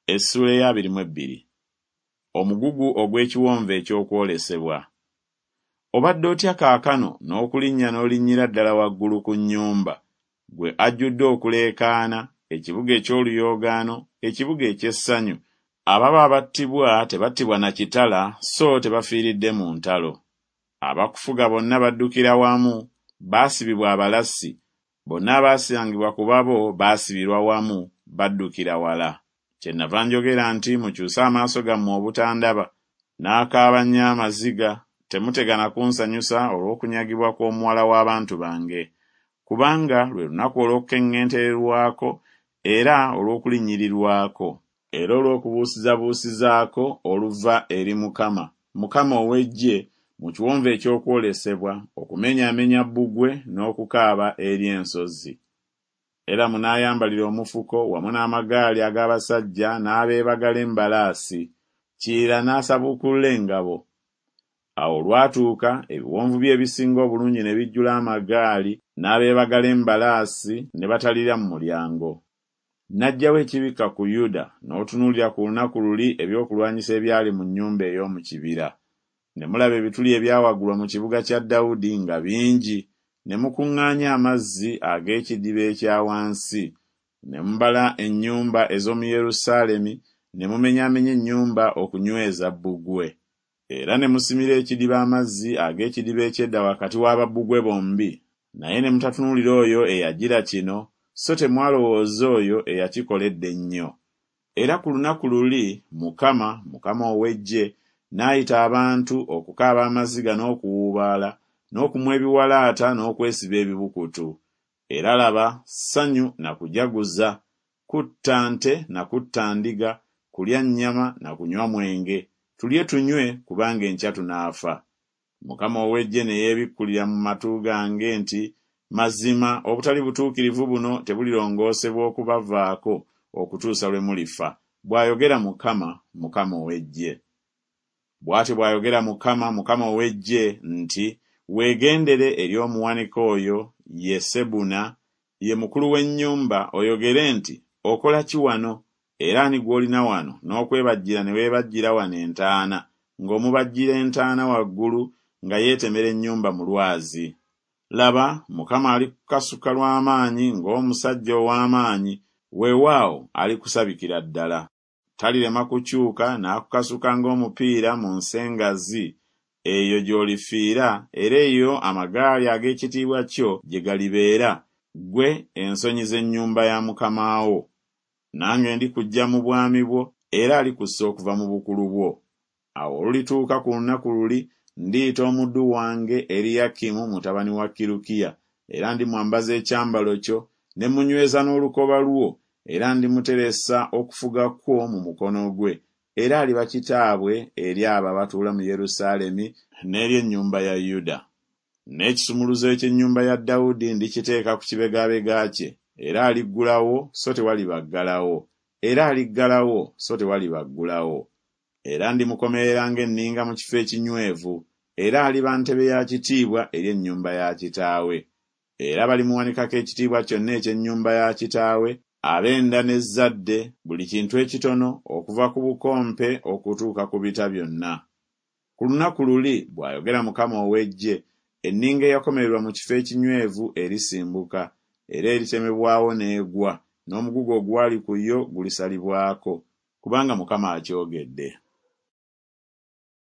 Essuula ey'abiri mu ebbiri. Omugugu ogw'ekiwonvu eky'okwolesebwa. Obadde otya kaakano n'okulinnya n'olinnyira ddala waggulu ku nnyumba, ggwe ajjudde okuleekaana, ekibuga eky'oluyoogaano, ekibuga eky'essanyu, Ababo abattibwa tebattibwa na kitala so tebafiiridde mu ntalo. Abakufuga bonna baddukira wamu, baasibibwa abalasi, bonna abaasangibwa ku babo baasibirwa wamu, baddukira wala. Kyennava njogera nti Mukyuse amaaso gammwe obutandaba, n'akaaba nnyo amaziga, temutegana kunsanyusa olw'okunyagibwa kw'omuwala w'abantu bange, kubanga lwe lunaku olw'okukeŋŋentererwako era olw'okulinnyirirwako, era olw'okubuusizabuusizaako oluva eri Mukama, Mukama ow'eggye, mu kiwonvu eky'okwolesebwa, okumenyaamenya bbugwe n'okukaaba eri ensozi. Eramu n'ayambalira omufuko wamu n'amagaali ag'abasajja n'abeebagala embalaasi, Kiyira n'asabuukulula engabo. Awo olwatuuka ebiwonvu bye ebisinga obulungi ne bijjula amagaali n'abeebagala embalaasi ne batalira mu mulyango. N'aggyawo ekibikka ku Yuda, n'otunuulira ku lunaku luli ebyokulwanyisa ebyali mu nnyumba ey'omu kibira. Ne mulaba ebituli ebyawagulwa mu kibuga kya Dawudi nga bingi, ne mukuŋŋaanya amazzi ag'ekidiba ekya wansi, ne mubala ennyumba ez'omu Yerusaalemi, ne mumenyaamenya ennyumba okunyweza bbugwe. Era ne musimira ekidiba amazzi ag'ekidiba eky'edda wakati wa babbugwe bombi, naye ne mutatunuulira oyo eyagira kino, so temwalowooza oyo eyakikola edda ennyo. Era ku lunaku luli Mukama, Mukama ow'eggye, n'ayita abantu okukaaba amaziga n'okuwuubaala, n'okumwa ebiwalaata n'okwesiba ebibukutu. Era laba, ssanyu na kujaguza, kutta nte na kutta ndiga, kulya nnyama na kunywa mwenge, tulye tunywe, kubanga enkya tunaafa. Mukama ow'eggye ne yeebikkulira mu matu gange nti, Mazima obutali butuukirivu buno tebulirongoosebwa okubavaako okutuusa lwe mulifa, bw'ayogera Mukama, Mukama ow'eggye. Bw'atyo bw'ayogera Mukama, Mukama ow'eggye nti Weegendere eri omuwanika oyo, ye Sebuna, ye mukulu w'ennyumba, oyogere nti Okola ki wano, era ani gw'olina wano n'okwebajjira ne weebajjira wano entaana, ng'omubajjira entaana waggulu nga yeetemera ennyumba mu lwazi? Laba, Mukama alikukasuka lwa maanyi ng'omusajja ow'amaanyi, weewaawo, alikusabikira ddala. Talirema kukyuka n'akukasuka ng'omupiira mu nsi engazi, eyo gy'olifiira, era eyo amagaali ag'ekitiibwa kyo gye galibeera, ggwe ensonyi z'ennyumba ya mukama wo. Nange ndikuggya mu bwami bwo, era alikussa okuva mu bukulu bwo. Awo olulituuka ku lunaku luli ndiyita omuddu wange Eriyakimu mutabani wa Kirukiya, era ndimwambaza ekyambalo kyo, ne mmunyweza n'olukoba lwo, era ndimuteresa okufuga kwo mu mukono gwe, era aliba kitaabwe eri abo abatuula mu Yerusaalemi n'eri ennyumba ya Yuda. N'ekisumuluzo eky'ennyumba ya Dawudi ndikiteeka ku kibegabega kye, era aliggulawo so tewaliba aggalawo, era aliggalawo so tewaliba aggulawo. Era ndimukomerera ng'enninga mu kifo ekinywevu, era aliba ntebe ya kitiibwa eri ennyumba ya kitaawe. Era balimuwanikako ekitiibwa kyonna eky'ennyumba ya kitaawe, ab'enda n'ezzadde, buli kintu ekitono, okuva ku bukompe okutuuka ku bita byonna. Ku lunaku luli, bw'ayogera Mukama ow'eggye, enninga eyakomererwa mu kifo ekinywevu erisimbuka, era eritemebwawo n'egwa, n'omugugu ogwali ku yo gulisalibwako, kubanga Mukama akyogedde.